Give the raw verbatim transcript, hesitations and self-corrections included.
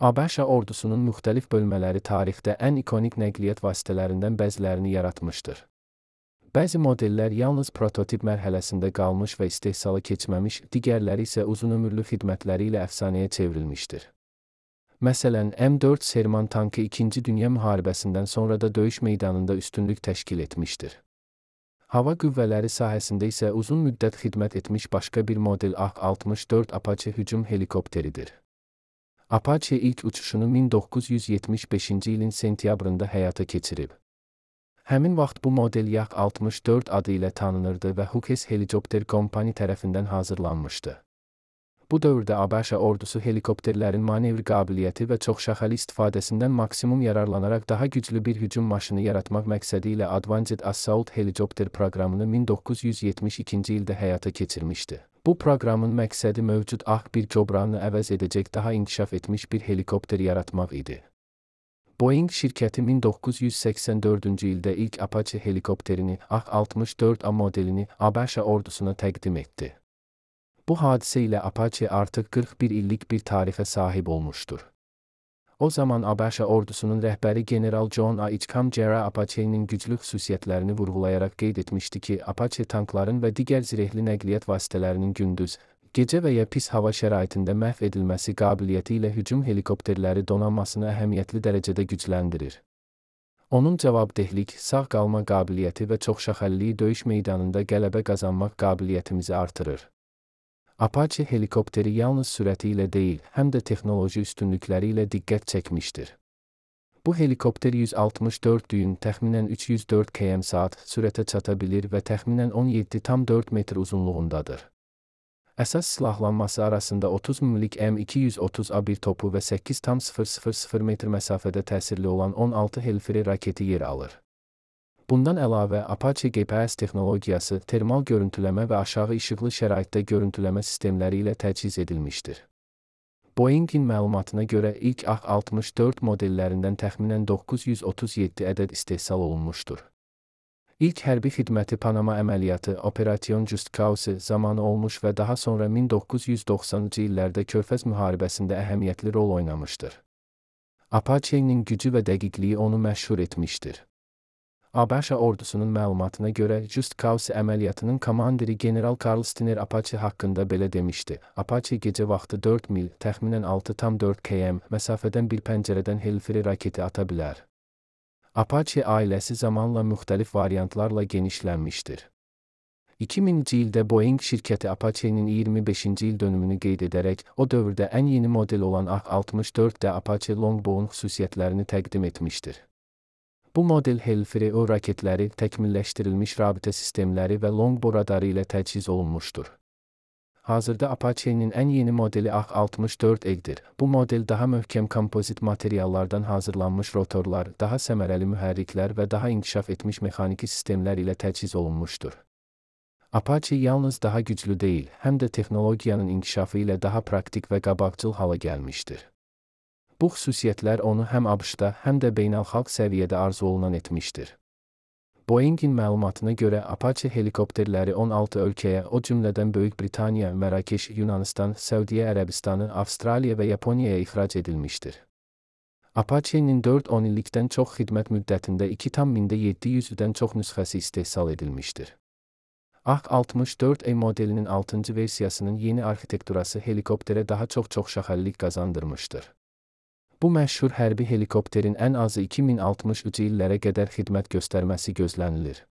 ABŞ ordusunun müxtəlif bölmələri tarixdə ən ikonik nəqliyyat vasitələrindən bəzilərini yaratmışdır. Bəzi modellər yalnız prototip mərhələsində qalmış və istehsala keçməmiş, digərləri isə uzunömürlü xidmətləri ilə əfsanəyə çevrilmişdir. Məsələn, M dörd Sherman tankı İkinci Dünya müharibəsindən sonra da döyüş meydanında üstünlük təşkil etmişdir. Hava qüvvələri sahəsində isə uzun müddət xidmət etmiş başqa bir model A altmış dörd Apache hücum helikopteridir. Apache ilk uçuşunu min doqquz yüz yetmiş beşinci ilin sentyabrında həyata keçirib. Həmin vaxt bu model Y A H altmış dörd adı ilə tanınırdı və Hughes Helicopter Company tərəfindən hazırlanmışdı. Bu dövrdə ABŞ ordusu helikopterlərin manevr qabiliyyəti və çoxşaxəli istifadəsindən maksimum yararlanaraq daha güclü bir hücum maşını yaratmaq məqsədi ilə Advanced Assault Helicopter proqramını min doqquz yüz yetmiş ikinci ildə həyata keçirmişdi. Bu proqramın məqsədi mövcud A H bir cobranı əvəz edəcək daha inkişaf etmiş bir helikopter yaratmaq idi. Boeing şirkəti min doqquz yüz səksən dördüncü ildə ilk Apache helikopterini A H altmış dörd A modelini ABŞ ordusuna təqdim etdi. Bu hadisə ilə Apache artıq qırx bir illik bir tarixə sahib olmuşdur. O zaman ABŞ ordusunun rəhbəri general John A. Hitchcock Apache'nin güclü xüsusiyyətlərini vurğulayaraq qeyd etmişdi ki, Apache tankların və digər zirehli nəqliyyat vasitələrinin gündüz, gecə və ya pis hava şəraitində məhv edilməsi qabiliyyəti ilə hücum helikopterləri donanmasını əhəmiyyətli dərəcədə gücləndirir. Onun cavabdehlik, sağ qalma qabiliyyəti və çoxşaxəlliliyi döyüş meydanında qələbə qazanmaq qabiliyyətimizi artırır. Apache helikopteri yalnız sürəti ilə deyil, həm də texnoloji üstünlükləri ilə diqqət çəkmişdir. Bu helikopter yüz altmış dörd düyün, təxminən üç yüz dörd kilometr saat sürətə çata bilir və təxminən on yeddi tam dörd metr uzunluğundadır. Əsas silahlanması arasında otuz mmlik M iki yüz otuz A bir topu və səkkiz tam sıfır sıfır sıfır metr məsafədə təsirli olan on altı Hellfire raketi yer alır. Bundan əlavə, Apache G P S texnologiyası, termal görüntüləmə və aşağı işıqlı şəraitdə görüntüləmə sistemləri ilə təchiz edilmişdir. Boeing'in məlumatına görə ilk A H altmış dörd modellərindən təxminən doqquz yüz otuz yeddi ədəd istehsal olunmuşdur. İlk hərbi xidməti Panama əməliyyatı Operasyon Just Cause zamanı olmuş və daha sonra min doqquz yüz doxsanıncı illərdə Körfəz müharibəsində əhəmiyyətli rol oynamışdır. Apache'nin gücü və dəqiqliyi onu məşhur etmişdir. ABŞ ordusunun məlumatına görə Just Cause əməliyyatının komandiri general Carl Stiner Apache haqqında belə demişdi. Apache gecə vaxtı dörd mil, təxminən altı tam dörd kilometr məsafədən bir pəncərədən Hellfire raketi ata bilər. Apache ailəsi zamanla müxtəlif variantlarla genişlənmişdir. iki minci ildə Boeing şirkəti Apache'nin iyirmi beşinci il dönümünü qeyd edərək, o dövrdə ən yeni model olan A H altmış dörd də Apache Longbow'un xüsusiyyətlərini təqdim etmişdir. Bu model Hellfire O raketləri, təkmilləşdirilmiş rabitə sistemləri və Longbow radarı ilə təchiz olunmuşdur. Hazırda Apache'nin ən yeni modeli A H altmış dörd E-dir. Bu model daha möhkəm kompozit materiallardan hazırlanmış rotorlar, daha səmərəli mühərriklər və daha inkişaf etmiş mexaniki sistemlər ilə təchiz olunmuşdur. Apache yalnız daha güclü deyil, həm də texnologiyanın inkişafı ilə daha praktik və qabaqcıl hala gəlmişdir. Bu xüsusiyyətlər onu həm ABŞ-da, həm də beynəlxalq səviyyədə arzu olunan etmişdir. Boeing'in məlumatına görə Apache helikopterləri on altı ölkəyə, o cümlədən Böyük Britaniya, Mərakeş, Yunanistan, Səudiyyə Ərəbistanı, Avstraliya və Yaponiyaya ixrac edilmişdir. Apache'nin dörd on illikdən çox xidmət müddətində iki tam mində yeddi yüzdən çox nüsxəsi istehsal edilmişdir. A H altmış dörd E modelinin altıncı versiyasının yeni arxitekturası helikopterə daha çox çoxşaxəllilik qazandırmışdır. Bu məşhur hərbi helikopterin ən azı iki min altmış üç illərə qədər xidmət göstərməsi gözlənilir.